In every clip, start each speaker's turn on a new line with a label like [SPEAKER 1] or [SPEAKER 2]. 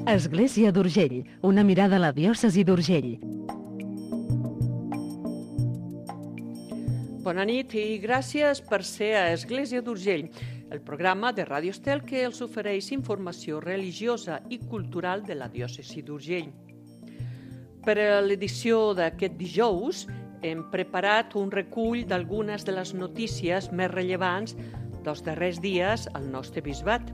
[SPEAKER 1] Església d'Urgell, una mirada a la diòcesi d'Urgell.
[SPEAKER 2] Bona nit i gràcies per ser a Església d'Urgell, el programa de Ràdio Estel que els ofereix informació religiosa i cultural de la diòcesi d'Urgell. Per a l'edició d'aquest dijous hem preparat un recull d'algunes de les notícies més rellevants dels darrers dies al nostre bisbat.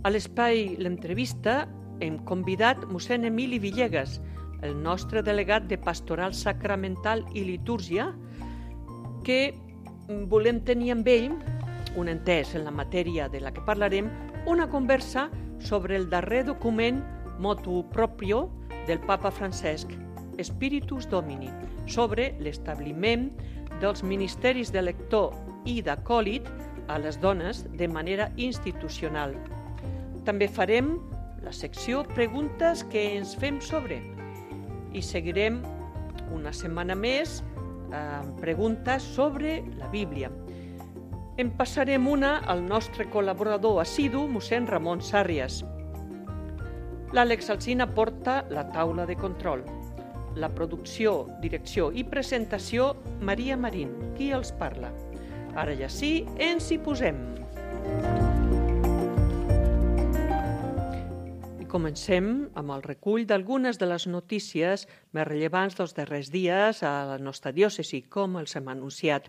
[SPEAKER 2] A l'espai L'Entrevista hem convidat mossèn Emili Villegas, el nostre delegat de Pastoral Sacramental i Litúrgia, que volem tenir amb ell, un entès en la matèria de la que parlarem, una conversa sobre el darrer document motu proprio del Papa Francesc, Spiritus Domini, sobre l'establiment dels ministeris de lector i d'acòlit a les dones de manera institucional. També farem la secció Preguntes que ens fem sobre i seguirem una setmana més amb preguntes sobre la Bíblia. En passarem una al nostre col·laborador assidu, mossèn Ramon Sàrrias. L'Àlex Alsina porta la taula de control. La producció, direcció i presentació, Maria Marín, qui els parla. Ara ja sí, ens hi posem. Comencem amb el recull d'algunes de les notícies més rellevants dels darrers dies a la nostra diòcesi, com els hem anunciat.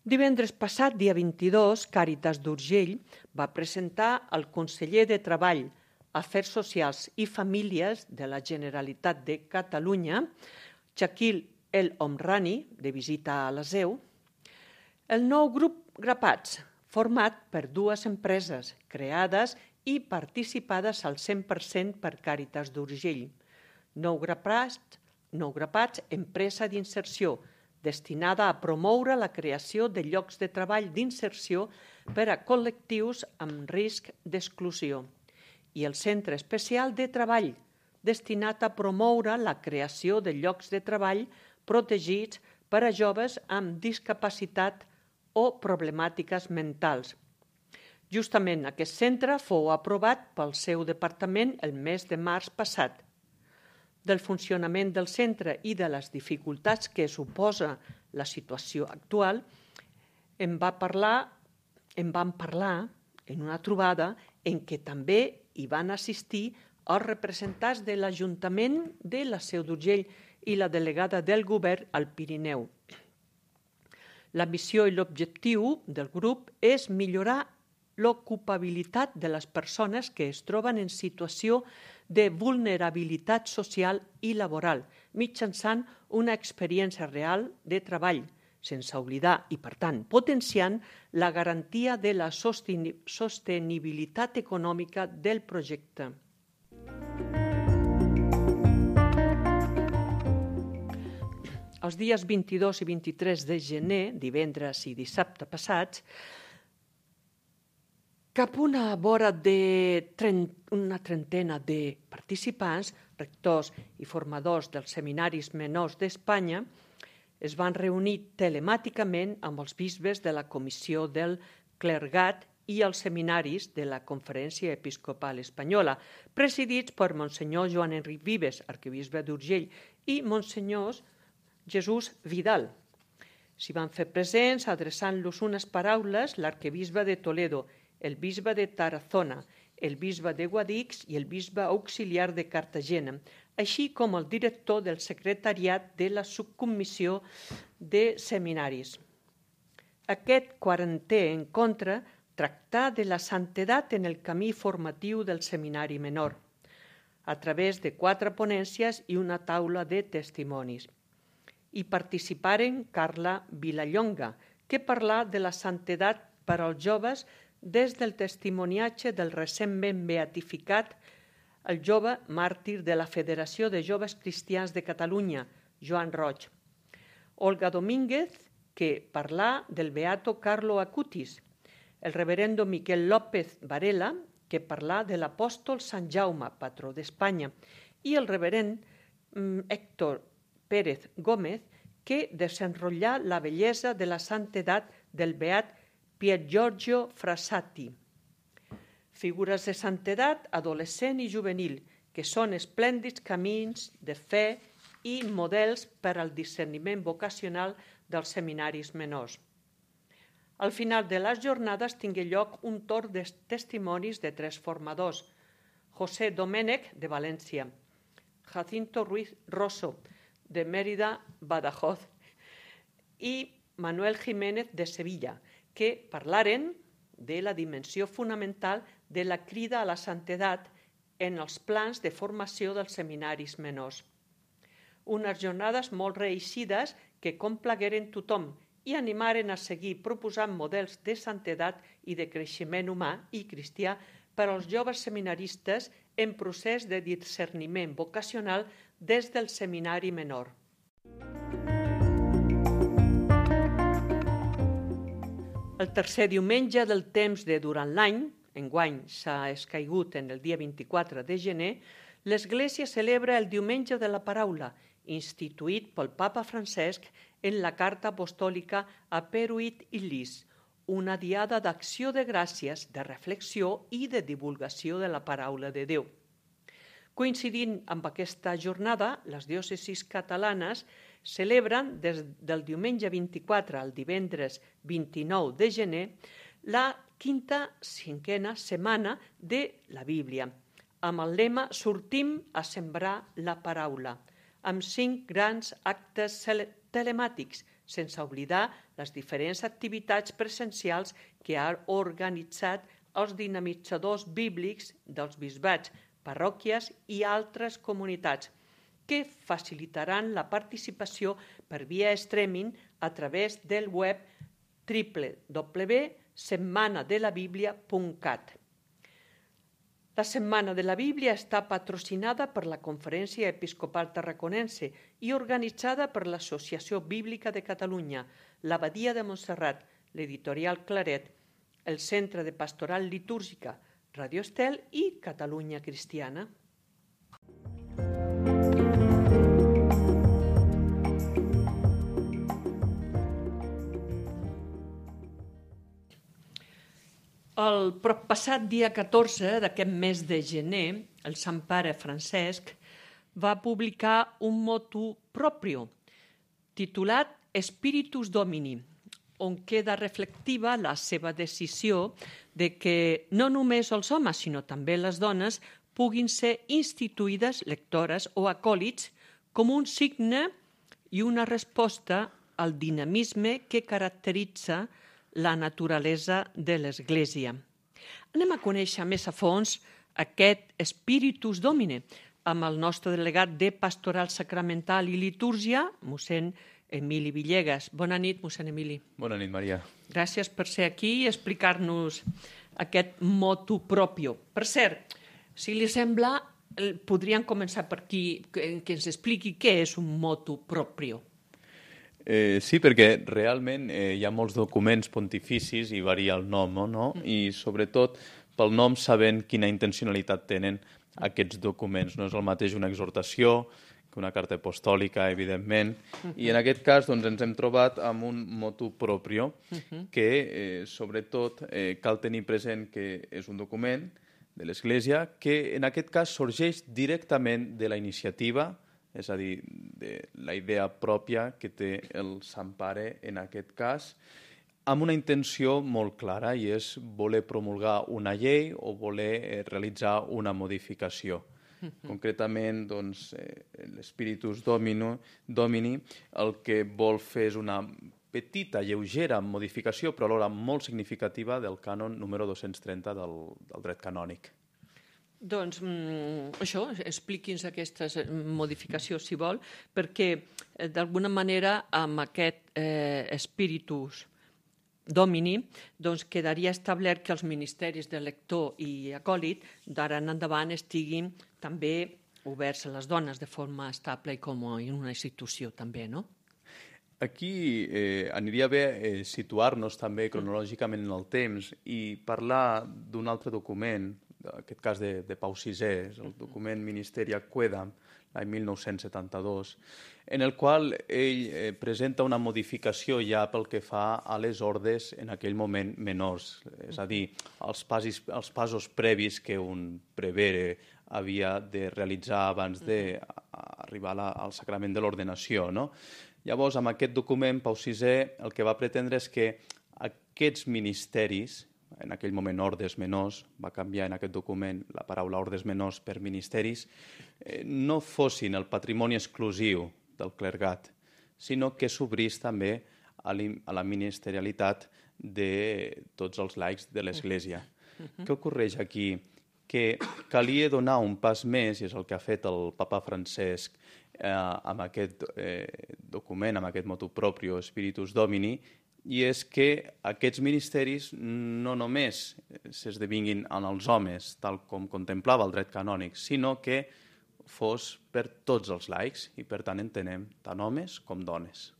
[SPEAKER 2] Divendres passat, dia 22, Càritas d'Urgell va presentar al conseller de Treball, Afers Socials i Famílies de la Generalitat de Catalunya, Chakil El Omrani, de visita a la SEU, el nou grup Grapats, format per dues empreses creades i participades al 100% per Càritas d'Urgell. Nou Grapats, empresa d'inserció, destinada a promoure la creació de llocs de treball d'inserció per a col·lectius amb risc d'exclusió. I el Centre Especial de Treball, destinat a promoure la creació de llocs de treball protegits per a joves amb discapacitat o problemàtiques mentals. Justament aquest centre fou aprovat pel seu departament el mes de març passat. Del funcionament del centre i de les dificultats que suposa la situació actual en vam parlar en una trobada en què també hi van assistir els representants de l'Ajuntament de la Seu d'Urgell i la delegada del govern al Pirineu. La missió i l'objectiu del grup és millorar l'ocupabilitat de les persones que es troben en situació de vulnerabilitat social i laboral, mitjançant una experiència real de treball, sense oblidar i, per tant, potenciant la garantia de la sostenibilitat econòmica del projecte. Els dies 22 i 23 de gener, divendres i dissabte passats, cap una vora una trentena de participants, rectors i formadors dels seminaris menors d'Espanya, es van reunir telemàticament amb els bisbes de la Comissió del Clergat i els seminaris de la Conferència Episcopal Espanyola, presidits per Monsenyor Joan Enric Vives, arquebisbe d'Urgell, i Monsenyor Jesús Vidal. S'hi van fer presents, adreçant-los unes paraules, l'arquebisbe de Toledo, el bisbe de Tarazona, el bisbe de Guadix i el bisbe auxiliar de Cartagena, així com el director del secretariat de la subcomissió de seminaris. Aquest 40è encontre tractà de la santedat en el camí formatiu del seminari menor, a través de 4 ponències i una taula de testimonis. Hi participaren Carla Vilallonga, que parlà de la santedat per als joves des del testimoniatge del recentment beatificat el jove màrtir de la Federació de Joves Cristians de Catalunya, Joan Roig. Olga Domínguez, que parlà del beato Carlo Acutis. El reverendo Miquel López Varela, que parlà de l'apòstol Sant Jaume, patró d'Espanya. I el reverend Héctor Pérez Gómez, que desenrotllà la bellesa de la santedat del beat Pier Giorgio Frassati. figures de santedat adolescent i juvenil, que són esplèndids camins de fe i models per al discerniment vocacional dels seminaris menors. Al final de les jornades tingué lloc un torn de testimonis de 3 formadors: José Domènech, de València, Jacinto Ruiz Rosso, de Mérida, Badajoz, i Manuel Jiménez, de Sevilla, que parlaren de la dimensió fonamental de la crida a la santedat en els plans de formació dels seminaris menors. Unes jornades molt reeixides que complagueren tothom i animaren a seguir proposant models de santedat i de creixement humà i cristià per als joves seminaristes en procés de discerniment vocacional des del seminari menor. El tercer diumenge del temps de durant l'any, enguany s'ha escaigut en el dia 24 de gener, l'Església celebra el Diumenge de la Paraula, instituït pel Papa Francesc en la Carta Apostòlica Aperuit Illis, una diada d'acció de gràcies, de reflexió i de divulgació de la paraula de Déu. Coincidint amb aquesta jornada, les diòcesis catalanes celebren des del diumenge 24 al divendres 29 de gener la cinquena setmana de la Bíblia, amb el lema «Sortim a sembrar la paraula», amb 5 grans actes telemàtics, sense oblidar les diferents activitats presencials que han organitzat els dinamitzadors bíblics dels bisbats, parròquies i altres comunitats, que facilitaran la participació per via streaming a través del web www.setmanadelabiblia.cat. La Setmana de la Bíblia està patrocinada per la Conferència Episcopal Tarraconense i organitzada per l'Associació Bíblica de Catalunya, l'Abadia de Montserrat, l'Editorial Claret, el Centre de Pastoral Litúrgica, Radio Estel i Catalunya Cristiana. El passat dia 14 d'aquest mes de gener, el Sant Pare Francesc va publicar un motu proprio titulat Spiritus Domini, on queda reflectiva la seva decisió de que no només els homes, sinó també les dones, puguin ser instituïdes lectores o acòlits com un signe i una resposta al dinamisme que caracteritza la naturalesa de l'Església. Anem a conèixer més a fons aquest Spiritus Domini amb el nostre delegat de Pastoral Sacramental i Litúrgia, mossèn Emili Villegas. Bona nit, mossèn Emili.
[SPEAKER 3] Bona nit, Maria.
[SPEAKER 2] Gràcies per ser aquí i explicar-nos aquest motu proprio. Per cert, si li sembla, podríem començar per aquí, que ens expliqui què és un motu proprio.
[SPEAKER 3] Sí, perquè realment hi ha molts documents pontificis i varia el nom, no? I sobretot pel nom sabent quina intencionalitat tenen aquests documents. No és el mateix una exhortació que una carta apostòlica, evidentment, i en aquest cas doncs, ens hem trobat amb un motu proprio que sobretot cal tenir present que és un document de l'Església que en aquest cas sorgeix directament de la iniciativa, és a dir, de la idea pròpia que té el Sant Pare en aquest cas, amb una intenció molt clara, i és voler promulgar una llei o voler realitzar una modificació. Concretament, doncs, l'Spiritus Domini el que vol fer és una petita, lleugera modificació, però alhora molt significativa del cànon número 230 del dret canònic.
[SPEAKER 2] Doncs això, expliqui'ns aquestes modificacions, si vol, perquè d'alguna manera amb aquest Spiritus Domini doncs quedaria establert que els ministeris de lector i acòlit d'ara en endavant estiguin també oberts a les dones de forma estable i com en una institució també, no?
[SPEAKER 3] Aquí aniria bé situar-nos també cronològicament en el temps i parlar d'un altre document aquest cas de Pau VI, és el document Ministeria Quedam, l'any 1972, en el qual ell presenta una modificació ja pel que fa a les ordes en aquell moment menors, és a dir, els passos previs que un prevere havia de realitzar abans d'arribar al sacrament de l'ordenació, no? Llavors, amb aquest document, Pau VI el que va pretendre és que aquests ministeris, en aquell moment ordes menors, va canviar en aquest document la paraula ordes menors per ministeris, no fossin el patrimoni exclusiu del clergat, sinó que s'obrís també a la ministerialitat de tots els laics de l'Església. Què ocorreix aquí? Que calia donar un pas més, i és el que ha fet el papa Francesc amb aquest document, amb aquest motu proprio Spiritus Domini, i és que aquests ministeris no només s'esdevinguin en els homes, tal com contemplava el dret canònic, sinó que fos per tots els laics, i per tant entenem tant homes com dones.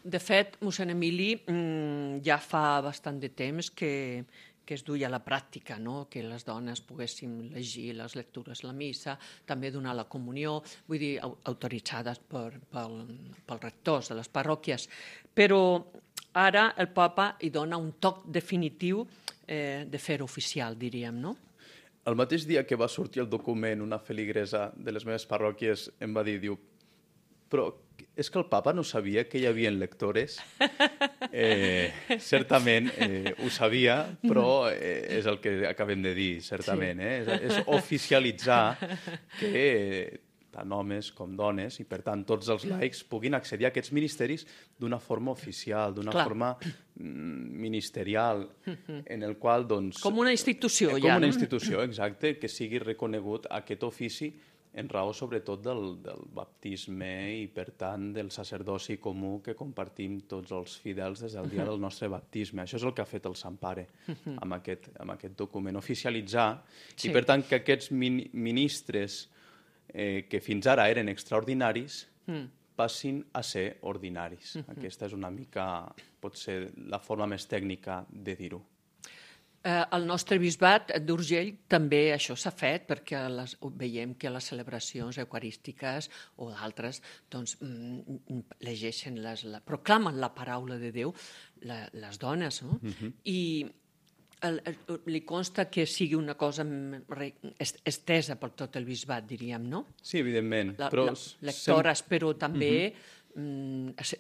[SPEAKER 2] De fet, mossèn Emili, ja fa bastant de temps que es duia a la pràctica, no? Que les dones poguéssim llegir les lectures de la missa, també donar la comunió, vull dir, autoritzades pels rectors de les parròquies. Però ara el papa hi dona un toc definitiu de fer-ho oficial, diríem, no?
[SPEAKER 3] El mateix dia que va sortir el document, una feligresa de les meves parròquies em va dir, diu, però és que el papa no sabia que hi havia lectores? Certament ho sabia, però és el que acabem de dir, certament. És oficialitzar que tant homes com dones, i per tant tots els laics puguin accedir a aquests ministeris d'una forma oficial, d'una forma ministerial, en el qual, doncs...
[SPEAKER 2] Com una institució, ja.
[SPEAKER 3] Com una institució, exacte, que sigui reconegut aquest ofici en raó sobretot del baptisme i, per tant, del sacerdoci comú que compartim tots els fidels des del dia del nostre baptisme. Això és el que ha fet el Sant Pare amb aquest document, oficialitzar, i per tant que aquests ministres que fins ara eren extraordinaris passin a ser ordinaris. Aquesta és una mica, pot ser la forma més tècnica de dir-ho.
[SPEAKER 2] Al nostre bisbat d'Urgell també això s'ha fet, perquè veiem que les celebracions eucarístiques o d'altres doncs, llegeixen, proclamen la paraula de Déu les dones, no? I li consta que sigui una cosa estesa per tot el bisbat, diríem, no?
[SPEAKER 3] Sí, evidentment.
[SPEAKER 2] Lectores, però també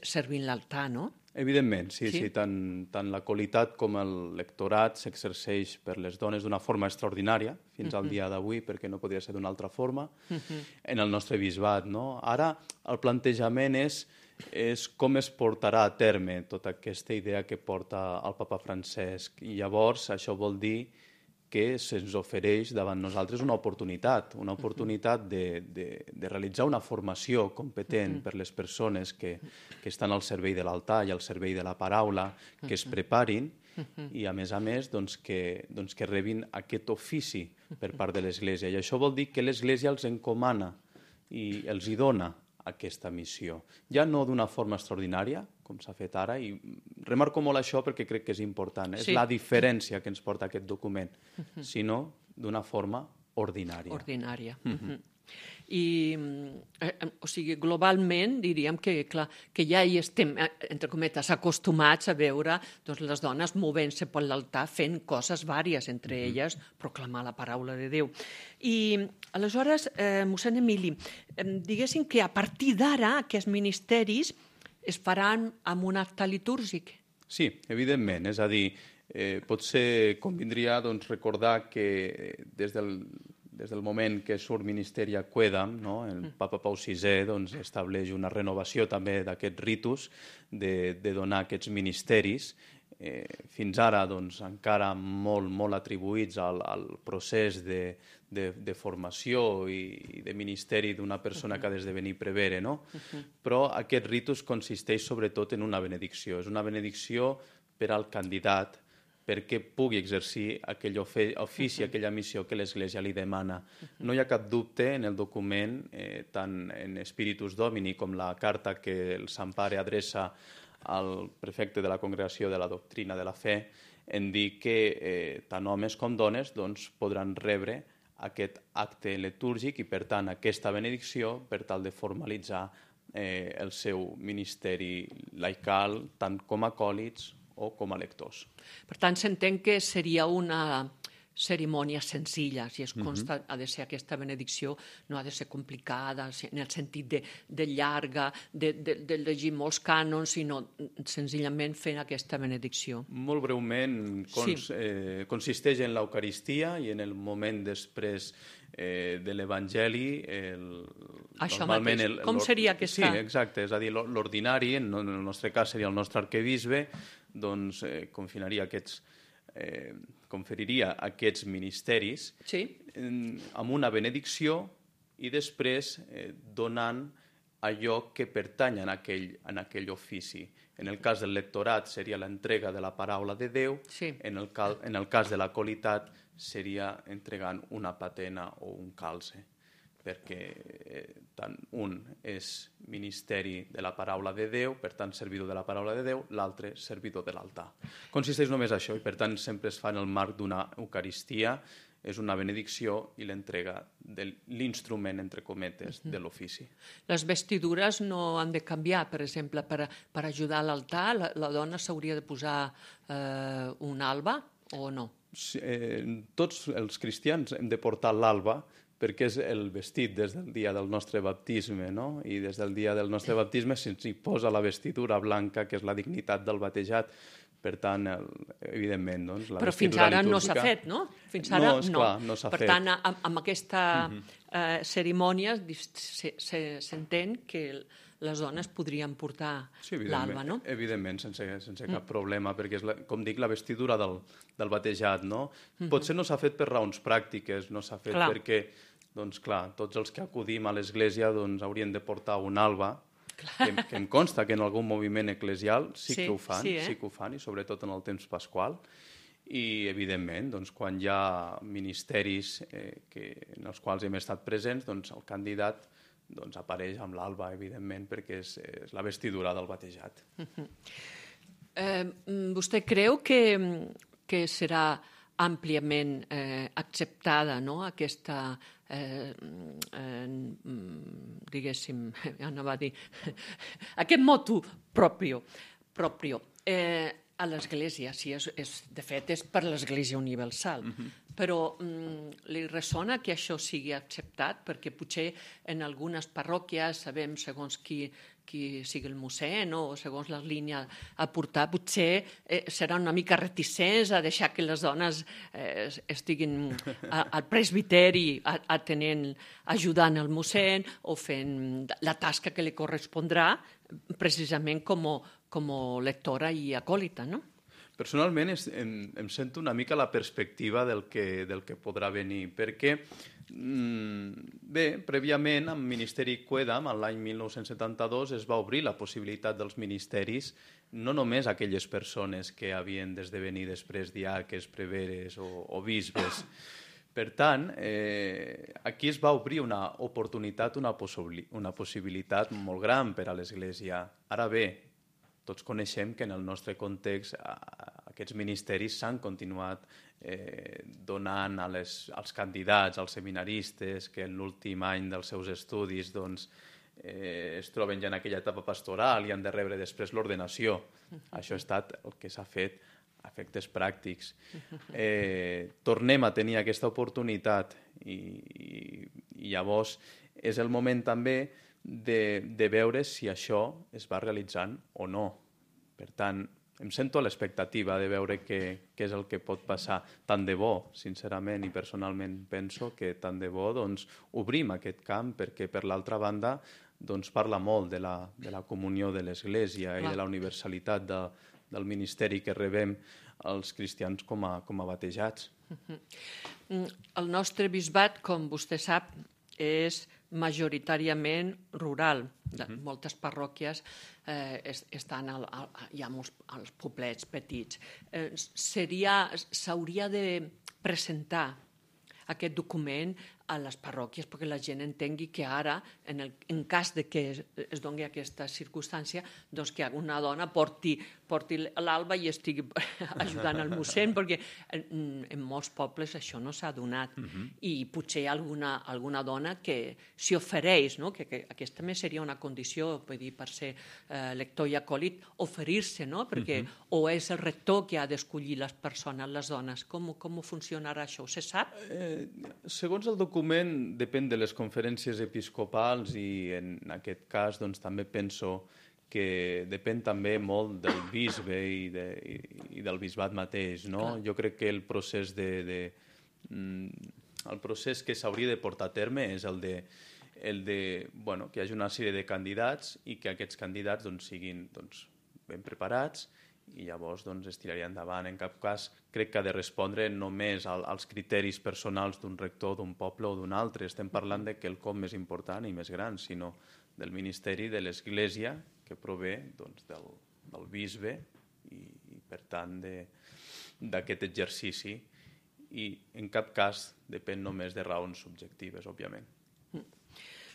[SPEAKER 2] servint l'altar, no?
[SPEAKER 3] Evidentment, sí. Tant la qualitat com el lectorat s'exerceix per les dones d'una forma extraordinària fins al dia d'avui, perquè no podria ser d'una altra forma, en el nostre bisbat, no? Ara el plantejament és com es portarà a terme tota aquesta idea que porta el papa Francesc, i llavors això vol dir que se'ns ofereix davant nosaltres una oportunitat de realitzar una formació competent per les persones que estan al servei de l'altar i al servei de la paraula, que es preparin i, a més, que rebin aquest ofici per part de l'Església. I això vol dir que l'Església els encomana i els hi dona aquesta missió. Ja no d'una forma extraordinària, com s'ha fet ara, i remarco molt això perquè crec que és important. És la diferència que ens porta aquest document, sinó d'una forma ordinària.
[SPEAKER 2] Ordinària. I, o sigui, globalment diríem que ja hi estem, entre cometes, acostumats a veure les dones movent-se per l'altar fent coses vàries, entre elles proclamar la paraula de Déu. I aleshores, mossèn Emili, diguéssim que a partir d'ara aquests ministeris es faran amb un acte litúrgic?
[SPEAKER 3] Sí, evidentment, és a dir, potser convindria recordar que des del moment que surt Ministeria Quedam, el papa Pau VI estableix una renovació també d'aquests ritus de donar aquests ministeris, fins ara encara molt atribuïts al procés de formació i de ministeri d'una persona que ha d'esdevenir prevere, no? Però aquest ritus consisteix sobretot en una benedicció. És una benedicció per al candidat, perquè pugui exercir aquell ofici, aquella missió que l'Església li demana. No hi ha cap dubte en el document, tant en Spiritus Domini com la carta que el Sant Pare adreça al prefecte de la Congregació de la Doctrina de la Fe, en dir que tant homes com dones doncs, podran rebre aquest acte litúrgic i, per tant, aquesta benedicció per tal de formalitzar el seu ministeri laical, tant com a acòlits o com a lectors.
[SPEAKER 2] Per tant, s'entén que seria una cerimònia senzilla, si es consta, ha de ser aquesta benedicció, no ha de ser complicada, en el sentit de llarga, de llegir molts cànons, sinó senzillament fent aquesta benedicció.
[SPEAKER 3] Molt breument, consisteix en l'Eucaristia i en el moment després de l'Evangeli.
[SPEAKER 2] Això mateix. Com seria aquesta?
[SPEAKER 3] Sí, exacte. És a dir, l'ordinari, en el nostre cas seria el nostre arquebisbe, doncs conferiria aquests ministeris amb una benedicció i després donant allò que pertany en aquell ofici. En el cas del lectorat seria l'entrega de la paraula de Déu, en el cas de l'acolitat seria entregant una patena o un calze, perquè tant un és ministeri de la paraula de Déu, per tant servidor de la paraula de Déu, l'altre servidor de l'altar. Consisteix només això i per tant sempre es fa en el marc d'una Eucaristia, és una benedicció i l'entrega de l'instrument, entre cometes, de l'ofici.
[SPEAKER 2] Les vestidures no han de canviar, per exemple, per ajudar a l'altar, la dona s'hauria de posar un alba o no?
[SPEAKER 3] Tots els cristians hem de portar l'alba perquè és el vestit des del dia del nostre baptisme, no? I des del dia del nostre baptisme se'ns hi posa la vestidura blanca, que és la dignitat del batejat. Per tant, evidentment, doncs, la
[SPEAKER 2] però
[SPEAKER 3] vestidura
[SPEAKER 2] fins ara
[SPEAKER 3] litúrgica...
[SPEAKER 2] no s'ha fet, no? Fins ara
[SPEAKER 3] no. Esclar, no s'ha fet.
[SPEAKER 2] Per tant, amb aquesta cerimònia s'entén que les dones podrien portar l'alba, no?
[SPEAKER 3] Evidentment, sense cap problema, perquè és, com dic, la vestidura del batejat, no? Potser no s'ha fet per raons pràctiques, no s'ha fet perquè, doncs clar, tots els que acudim a l'església doncs, haurien de portar un alba, que em consta que en algun moviment eclesial sí que ho fan, i sobretot en el temps pasqual. I, evidentment, doncs, quan hi ha ministeris en els quals hem estat presents, doncs, el candidat doncs, apareix amb l'alba, evidentment, perquè és la vestidura del batejat.
[SPEAKER 2] Vostè creu que serà àmpliament acceptada, no?, aquesta, diguéssim, anava a dir, aquest motu propio a l'Església, de fet és per l'Església Universal, però li ressona que això sigui acceptat, perquè potser en algunes parròquies sabem segons qui sigui el mossèn o segons la línia a portar, potser serà una mica reticents a deixar que les dones estiguin al presbiteri ajudant el mossèn o fent la tasca que li correspondrà precisament com lectora i acòlita, no?
[SPEAKER 3] Personalment em sento una mica la perspectiva del que podrà venir, perquè bé, prèviament amb Ministeri Quedam, l'any 1972, es va obrir la possibilitat dels ministeris no només a aquelles persones que havien d'esdevenir després diaques, preveres o bisbes. Per tant, aquí es va obrir una oportunitat, una possibilitat molt gran per a l'Església. Ara bé, tots coneixem que en el nostre context aquests ministeris s'han continuat donant als candidats, als seminaristes, que en l'últim any dels seus estudis es troben ja en aquella etapa pastoral i han de rebre després l'ordenació. Això ha estat el que s'ha fet a efectes pràctics. Tornem a tenir aquesta oportunitat i llavors és el moment també de veure si això es va realitzant o no. Per tant, em sento a l'expectativa de veure què és el que pot passar. Tant de bo, sincerament i personalment penso que tant de bo obrim aquest camp, perquè per l'altra banda parla molt de la comunió de l'Església i de la universalitat del ministeri que rebem els cristians com a batejats.
[SPEAKER 2] El nostre bisbat, com vostè sap, és majoritàriament rural. Moltes parròquies estan ja als poblets petits. S'hauria de presentar aquest document a les parròquies perquè la gent entengui que ara, en cas de que es doni aquesta circumstància, doncs que una dona porti l'alba i estigui ajudant al mossèn, perquè en molts pobles això no s'ha donat. I potser hi ha alguna dona que s'hi ofereix, no? Que aquesta també seria una condició, per ser lector i acòlit, oferir-se, no? Perquè o és el rector que ha d'escollir les persones, les dones. Com funcionarà això? Se sap?
[SPEAKER 3] Segons el document, depèn de les conferències episcopals i en aquest cas doncs, també penso que depèn també molt del bisbe i del bisbat mateix. No? Jo crec que el procés el procés que s'hauria de portar a terme és el de que hi hagi una sèrie de candidats i que aquests candidats doncs, siguin ben preparats i llavors es tiraria endavant. En cap cas crec que ha de respondre només als criteris personals d'un rector, d'un poble o d'un altre. Estem parlant de quelcom més important i més gran, sinó del ministeri de l'Església que prové del bisbe i per tant d'aquest exercici i en cap cas depèn només de raons subjectives, òbviament.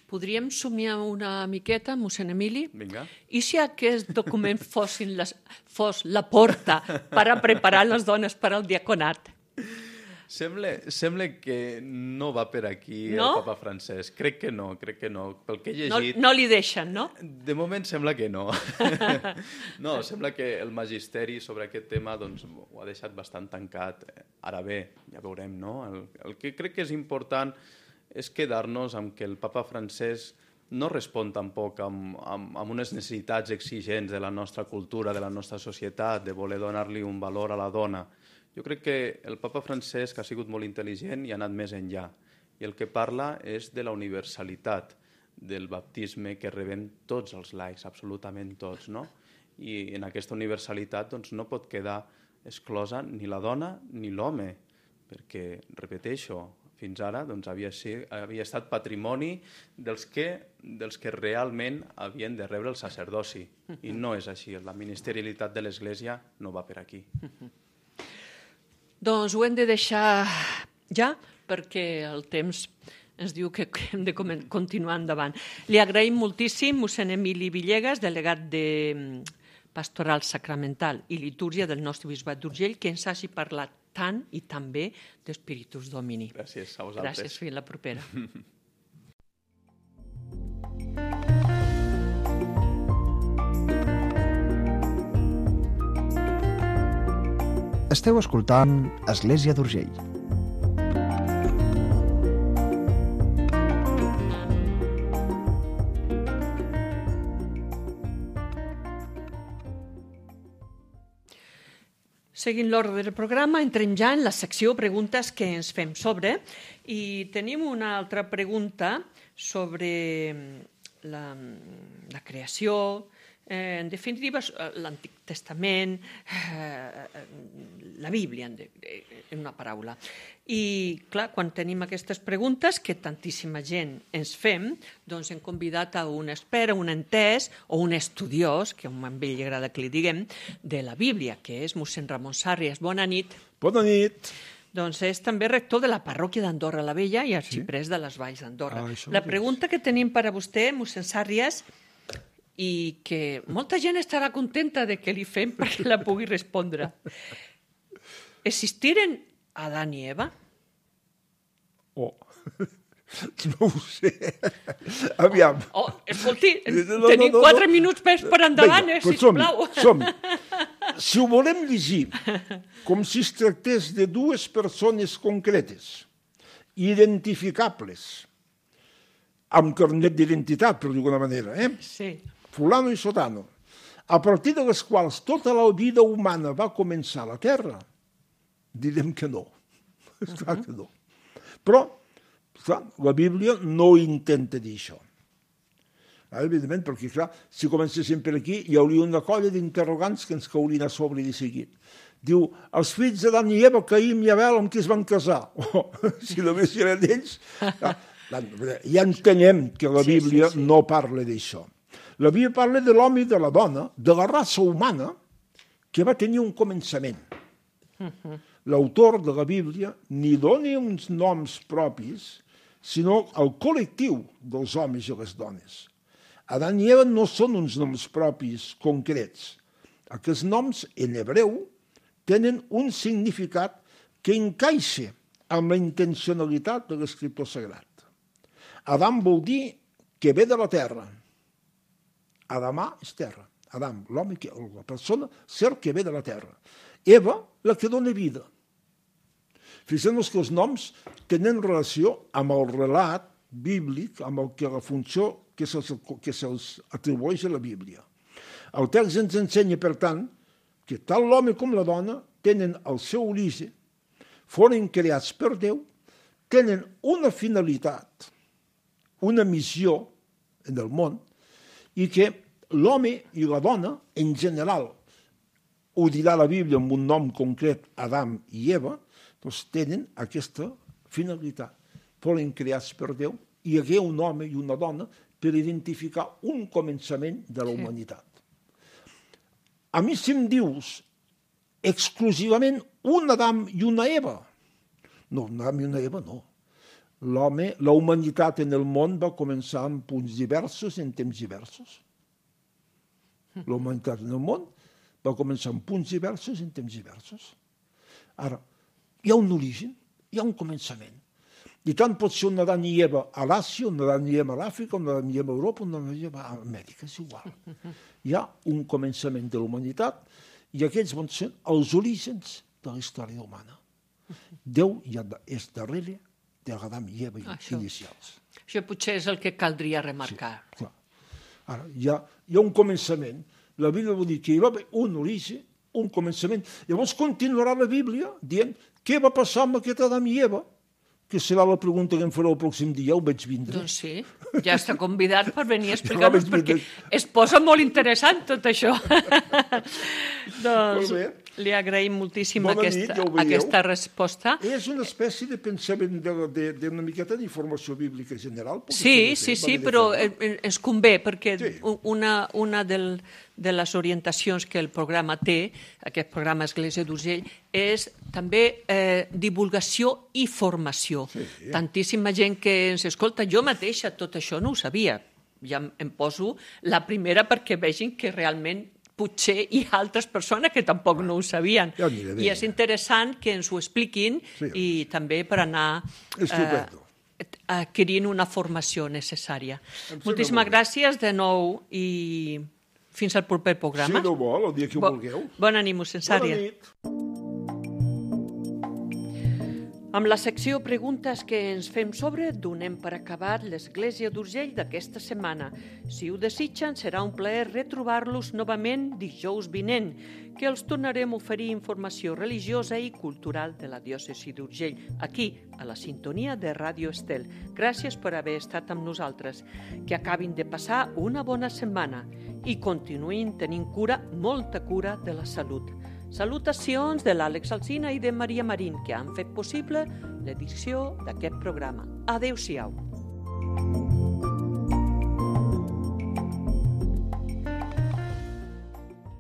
[SPEAKER 2] Podríem somiar una miqueta, mossèn Emili?
[SPEAKER 3] Vinga.
[SPEAKER 2] I si aquest document fos la porta per a preparar les dones per al diaconat?
[SPEAKER 3] Sembla que no va per aquí el papa Francesc. Crec que no. Pel que he llegit...
[SPEAKER 2] No li deixen, no?
[SPEAKER 3] De moment sembla que no. No, sembla que el magisteri sobre aquest tema ho ha deixat bastant tancat. Ara bé, ja veurem, no? El que crec que és important és quedar-nos amb que el papa Francesc no respon tampoc amb unes necessitats exigents de la nostra cultura, de la nostra societat, de voler donar-li un valor a la dona. Jo crec que el papa Francesc ha sigut molt intel·ligent i ha anat més enllà. I el que parla és de la universalitat del baptisme que rebem tots els laics, absolutament tots, no? I en aquesta universalitat no pot quedar exclosa ni la dona ni l'home, perquè, repeteixo, fins ara havia estat patrimoni dels que realment havien de rebre el sacerdoci. I no és així. La ministerialitat de l'Església no va per aquí.
[SPEAKER 2] Doncs ho hem de deixar ja, perquè el temps ens diu que hem de continuar endavant. Li agraïm moltíssim mossèn Emili Villegas, delegat de Pastoral Sacramental i Litúrgia del nostre bisbat d'Urgell, que ens hagi parlat tant i tan bé d'Espíritus Domini.
[SPEAKER 3] Gràcies a vosaltres.
[SPEAKER 2] Gràcies, fins la propera.
[SPEAKER 4] Esteu escoltant Església d'Urgell.
[SPEAKER 2] Seguint l'ordre del programa, entrem ja en la secció preguntes que ens fem sobre i tenim una altra pregunta sobre la creació, en definitiva, l'Antic Testament, la Bíblia, en una paraula. I, clar, quan tenim aquestes preguntes, que tantíssima gent ens fem, doncs hem convidat a un expert, un entès o un estudiós, que a ell li agrada que li diguem, de la Bíblia, que és mossèn Ramon Sàrries. Bona nit.
[SPEAKER 5] Bona nit.
[SPEAKER 2] Doncs és també rector de la parròquia d'Andorra la Vella i arxiprés de les Valls d'Andorra. La pregunta que tenim per a vostè, mossèn Sàrries, i que molta gent estarà contenta de que li fem perquè la pugui respondre. Existiren Adán i Eva?
[SPEAKER 5] Oh, no ho sé. Aviam.
[SPEAKER 2] Escolti, tenim 4 minuts per endavant, sisplau.
[SPEAKER 5] Som-hi. Si ho volem llegir com si es tractés de dues persones concretes, identificables, amb carnet d'identitat, per dir-ho d'alguna manera,
[SPEAKER 2] Sí.
[SPEAKER 5] fulano i sotano, a partir de les quals tota la vida humana va començar a la Terra, direm que no. Esclar que no. Però, clar, la Bíblia no intenta dir això. Evidentment, perquè, clar, si comencéssim per aquí, hi hauria una colla d'interrogants que ens caurien a sobre de seguit. Diu, els fills d'Adam i Eva, Caïm i Abel, amb qui es van casar? Si només eren ells... Ja entenem que la Bíblia no parla d'això. La Bíblia parla de l'home i de la dona, de la raça humana, que va tenir un començament. l'autor de la Bíblia ni dona uns noms propis, sinó el col·lectiu dels homes i les dones. Adán i Eva no són uns noms propis concrets. Aquests noms, en hebreu, tenen un significat que encaixa amb la intencionalitat de l'escriptor sagrat. Adam vol dir que ve de la terra. Adamà és terra. Adam, l'home, la persona, ser que ve de la terra. Eva, la que dona vida. Fixem-nos que els noms tenen relació amb el relat bíblic, amb la funció que se'ls atribueix a la Bíblia. El text ens ensenya, per tant, que tant l'home com la dona tenen el seu origen, foren creats per Déu, tenen una finalitat, una missió en el món, i que l'home i la dona, en general, ho dirà la Bíblia amb un nom concret, Adam i Eva, doncs tenen aquesta finalitat. Foren creats per Déu, i hi hagué un home i una dona per identificar un començament de la humanitat. A mi, si em dius exclusivament un Adam i una Eva, no, un Adam i una Eva no. L'home, la humanitat en el món va començar en punts diversos, en temps diversos. La humanitat en el món va començar en punts diversos, en temps diversos. Ara, hi ha un origen, hi ha un començament. I tant pot ser un Adán i Eva a l'Àsia, un Adán i Eva a l'Àfrica, un Adán i Eva a Europa, un Adán i Eva a Amèrica, és igual. Hi ha un començament de la humanitat i aquests van ser els orígens de la història humana. Déu ja és darrere de l'Adam i Eva inicials.
[SPEAKER 2] Això potser és el que caldria remarcar.
[SPEAKER 5] Sí, clar. Ara, hi ha un començament. La Bíblia vol dir que hi va haver un origen, un començament. Llavors continuarà la Bíblia dient què va passar amb aquest Adam i Eva, que serà la pregunta que em farà el pròxim dia, ho veig vindre.
[SPEAKER 2] Doncs sí, ja està convidat per venir a explicar-nos, perquè es posa molt interessant tot això. Doncs li agraïm moltíssim aquesta resposta.
[SPEAKER 5] És una espècie de pensament d'una miqueta d'informació bíblica general.
[SPEAKER 2] Sí, però ens convé, perquè una de les orientacions que el programa té, aquest programa Església d'Urgell, és també divulgació i formació. Tantíssima gent que ens escolta, jo mateixa tot això no ho sabia. Ja em poso la primera perquè vegin que realment potser hi ha altres persones que tampoc no ho sabien. I és interessant que ens ho expliquin i també per anar adquirint una formació necessària. Moltíssimes gràcies de nou i fins al proper programa.
[SPEAKER 5] Si no vol, el dia que ho vulgueu.
[SPEAKER 2] Bona nit, mossèn Sària.
[SPEAKER 5] Bona nit.
[SPEAKER 2] Amb la secció Preguntes que ens fem sobre, donem per acabat l'Església d'Urgell d'aquesta setmana. Si ho desitgen, serà un plaer retrobar-los novament dijous vinent, que els tornarem a oferir informació religiosa i cultural de la diòcesi d'Urgell, aquí, a la sintonia de Ràdio Estel. Gràcies per haver estat amb nosaltres. Que acabin de passar una bona setmana i continuïn tenint cura, molta cura de la salut. Salutacions de l'Àlex Alsina i de Maria Marín, que han fet possible l'edició d'aquest programa. Adéu-siau.